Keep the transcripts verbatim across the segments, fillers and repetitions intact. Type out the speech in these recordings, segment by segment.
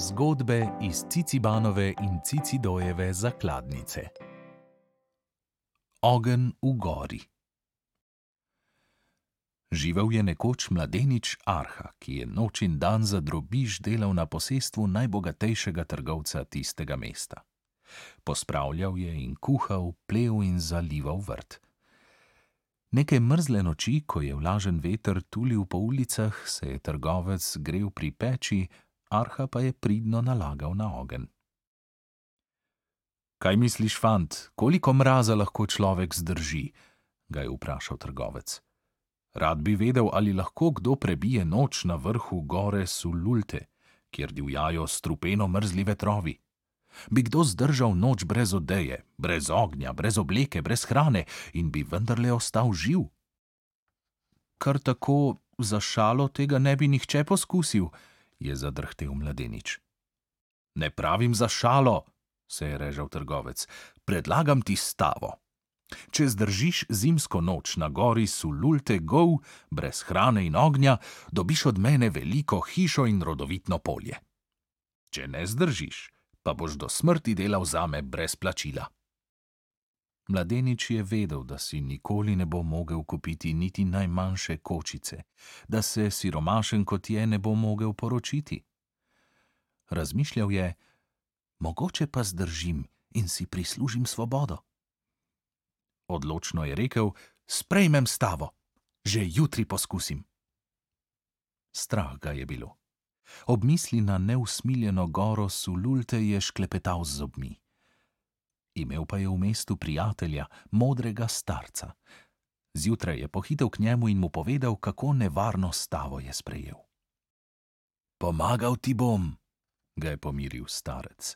Zgodbe iz Cicibanove in Cicidojeve zakladnice. Ogenj v gori. Živel je nekoč mladenič Arha, ki je noč in dan za drobiž delal na posestvu najbogatejšega trgovca tistega mesta. Pospravljal je in kuhal, plev in zalival vrt. Neke mrzle noči, ko je vlažen veter tulil po ulicah, se je trgovec grel pri peči, Arha pa je pridno nalagal na ogenj. Kaj misliš, fant, koliko mraza lahko človek zdrži? Ga je vprašal trgovec. Rad bi vedel, ali lahko kdo prebije noč na vrhu gore Sululte, kjer divjajo strupeno mrzli vetrovi. Bi kdo zdržal noč brez odeje, brez ognja, brez obleke, brez hrane in bi vendarle ostal živ? Kar tako za šalo tega ne bi nihče poskusil, je zadrhtel mladenič. Ne pravim za šalo, se je režal trgovec, predlagam ti stavo. Če zdržiš zimsko noč na gori Sululte gol, brez hrane in ognja, dobiš od mene veliko hišo in rodovitno polje. Če ne zdržiš, pa boš do smrti delal zame brez plačila. Mladenič je vedel, da si nikoli ne bo mogel kupiti niti najmanjše kočice, da se siromašen kot je ne bo mogel poročiti. Razmišljal je, mogoče pa zdržim in si prislužim svobodo. Odločno je rekel, sprejmem stavo, že jutri poskusim. Strah ga je bilo. Ob misli na neusmiljeno goro Sululte je šklepetal z zobmi. Imel pa je v mestu prijatelja, modrega starca. Zjutraj je pohitel k njemu in mu povedal, kako nevarno stavo je sprejel. Pomagal ti bom, ga je pomiril starec.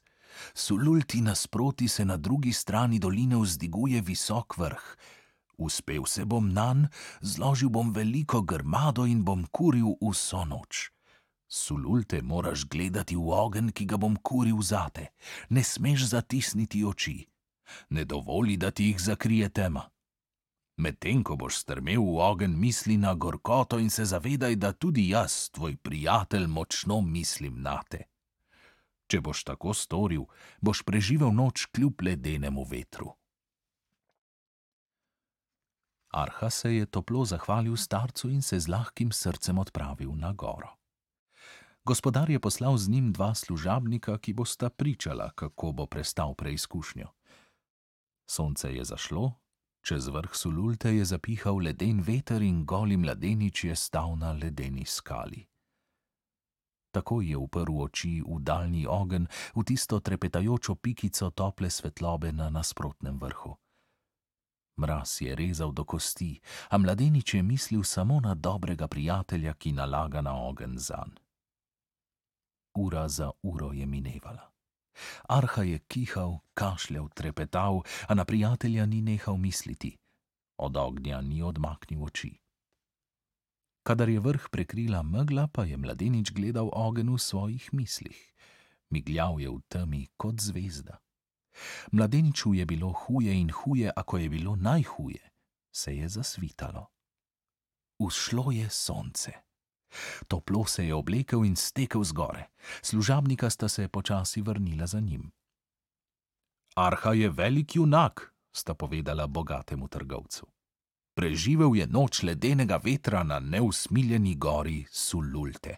Sululti nasproti se na drugi strani doline vzdiguje visok vrh. Uspel se bom nanj, zložil bom veliko grmado in bom kuril vso noč. Sululte moraš gledati v ogenj, ki ga bom kuril zate. Ne smeš zatisniti oči. Ne dovoli, da ti jih zakrije tema. Medtem ko boš strmel v ogenj, misli na gorkoto in se zavedaj, da tudi jaz, tvoj prijatelj, močno mislim nate. Če boš tako storil, boš preživel noč kljub ledenemu vetru. Arha se je toplo zahvalil starcu in se z lahkim srcem odpravil na goro. Gospodar je poslal z njim dva služabnika, ki bosta pričala, kako bo prestal preizkušnjo. Sonce je zašlo, čez vrh Sululte je zapihal leden veter in goli mladenič je stal na ledeni skali. Tako je uprl oči v daljni ogenj, v tisto trepetajočo pikico tople svetlobe na nasprotnem vrhu. Mraz je rezal do kosti, a mladenič je mislil samo na dobrega prijatelja, ki nalaga na ogenj zanj. Ura za uro je minevala. Arha je kihal, kašljal, trepetal, a na prijatelja ni nehal misliti. Od ognja ni odmaknil oči. Kadar je vrh prekrila megla, pa je mladenič gledal ogenj v svojih mislih. Migljal je v temi kot zvezda. Mladeniču je bilo huje in huje, a ko je bilo najhuje, se je zasvitalo. Vzšlo je sonce. Toplo se je oblekel in stekel zgore. Služabnika sta se počasi vrnila za njim. Arha je velik junak, sta povedala bogatemu trgovcu. Preživel je noč ledenega vetra na neusmiljeni gori Sululte.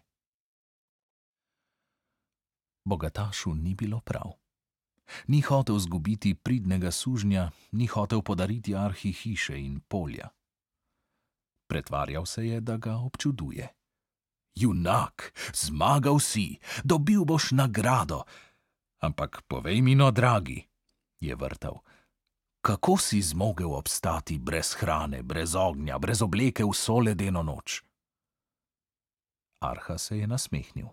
Bogatašu ni bilo prav. Ni hotel zgubiti pridnega sužnja, ni hotel podariti Arhi hiše in polja. Pretvarjal se je, da ga občuduje. Junak, zmagal si, dobil boš nagrado. Ampak povej mi no, dragi, je vrtal, kako si zmogel obstati brez hrane, brez ognja, brez obleke vso ledeno noč? Arha se je nasmehnil.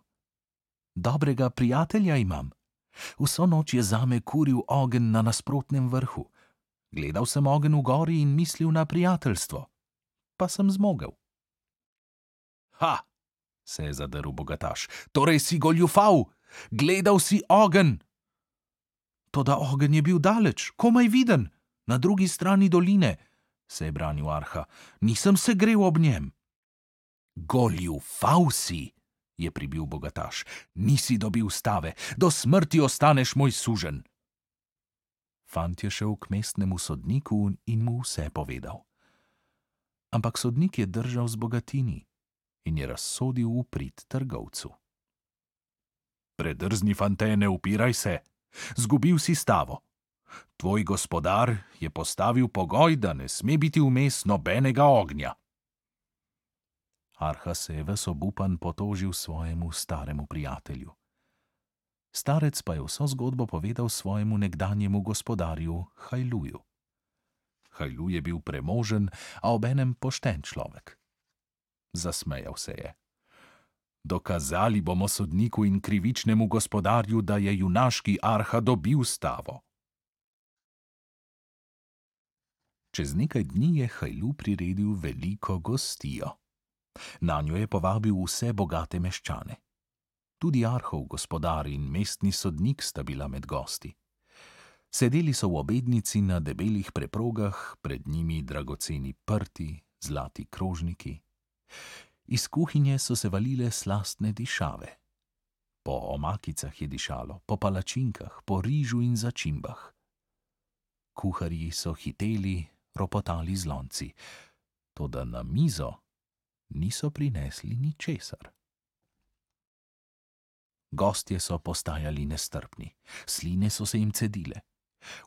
Dobrega prijatelja imam. Vso noč je zame kuril ogenj na nasprotnem vrhu. Gledal sem ogenj v gori in mislil na prijateljstvo. Pa sem zmogel. Ha, se je zadrl bogataš, torej si goljufal, gledal si ogenj. Toda ogenj je bil daleč, komaj viden, na drugi strani doline, se je branil Arha, nisem se grel ob njem. Goljufal si, je pribil bogataš. Nisi dobil stave, do smrti ostaneš moj suženj. Fant je šel k mestnemu sodniku in mu vse povedal. Ampak sodnik je držal z bogatini in je razsodil v prid trgovcu. Predrzni fante, ne upiraj se, zgubil si stavo. Tvoj gospodar je postavil pogoj, da ne sme biti vmes nobenega ognja. Arha se je ves obupan potožil svojemu staremu prijatelju. Starec pa je vso zgodbo povedal svojemu nekdanjemu gospodarju Hajluju. Hajlu je bil premožen, a obenem pošten človek. Zasmejal se je. Dokazali bomo sodniku in krivičnemu gospodarju, da je junaški Arha dobil stavo. Čez nekaj dni je Hajlu priredil veliko gostijo. Nanjo je povabil vse bogate meščane. Tudi Arhov gospodar in mestni sodnik sta bila med gosti. Sedeli so v obednici na debelih preprogah, pred njimi dragoceni prti, zlati krožniki. Iz kuhinje so se valile slastne dišave. Po omakicah je dišalo, po palačinkah, po rižu in začimbah. Kuharji so hiteli, ropotali z lonci, toda na mizo niso prinesli ničesar. Gostje so postajali nestrpni, sline so se jim cedile.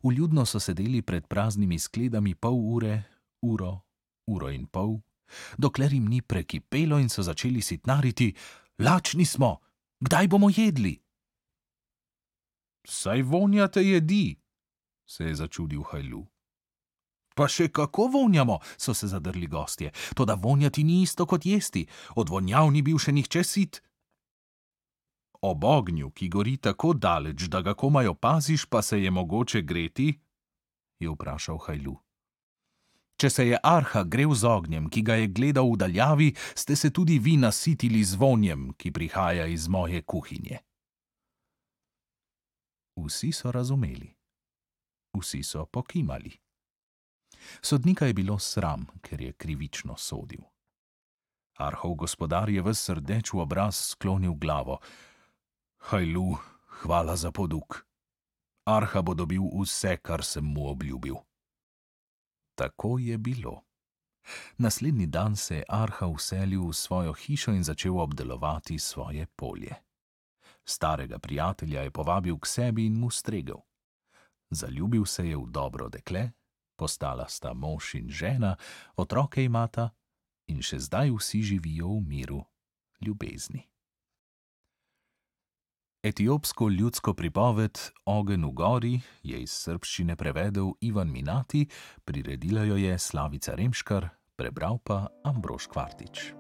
Vljudno so sedeli pred praznimi skledami pol ure, uro, uro in pol, dokler jim ni prekipelo in so začeli sitnariti: lačni smo, kdaj bomo jedli? Saj vonjate jedi, se je začudil Hajlu. Pa še kako vonjamo, so se zadrli gostje, toda vonjati ni isto kot jesti, od vonjav ni bil še nihče sit. Ob ognju, ki gori tako daleč, da ga komaj opaziš, pa se je mogoče greti? Je vprašal Hajlu. Če se je Arha grel z ognjem, ki ga je gledal v daljavi, ste se tudi vi nasitili z vonjem, ki prihaja iz moje kuhinje. Vsi so razumeli. Vsi so pokimali. Sodnika je bilo sram, ker je krivično sodil. Arhov gospodar je ves rdeč v obraz sklonil glavo. Hajlu, hvala za poduk. Arha bo dobil vse, kar sem mu obljubil. Tako je bilo. Naslednji dan se je Arha vselil v svojo hišo in začel obdelovati svoje polje. Starega prijatelja je povabil k sebi in mu stregel. Zaljubil se je v dobro dekle, postala sta mož in žena, otroke imata in še zdaj vsi živijo v miru, ljubezni. Etiopsko ljudsko pripoved Ogenj v gori je iz srbščine prevedel Ivan Minati, priredila jo je Slavica Remškar, prebral pa Ambrož Kvartič.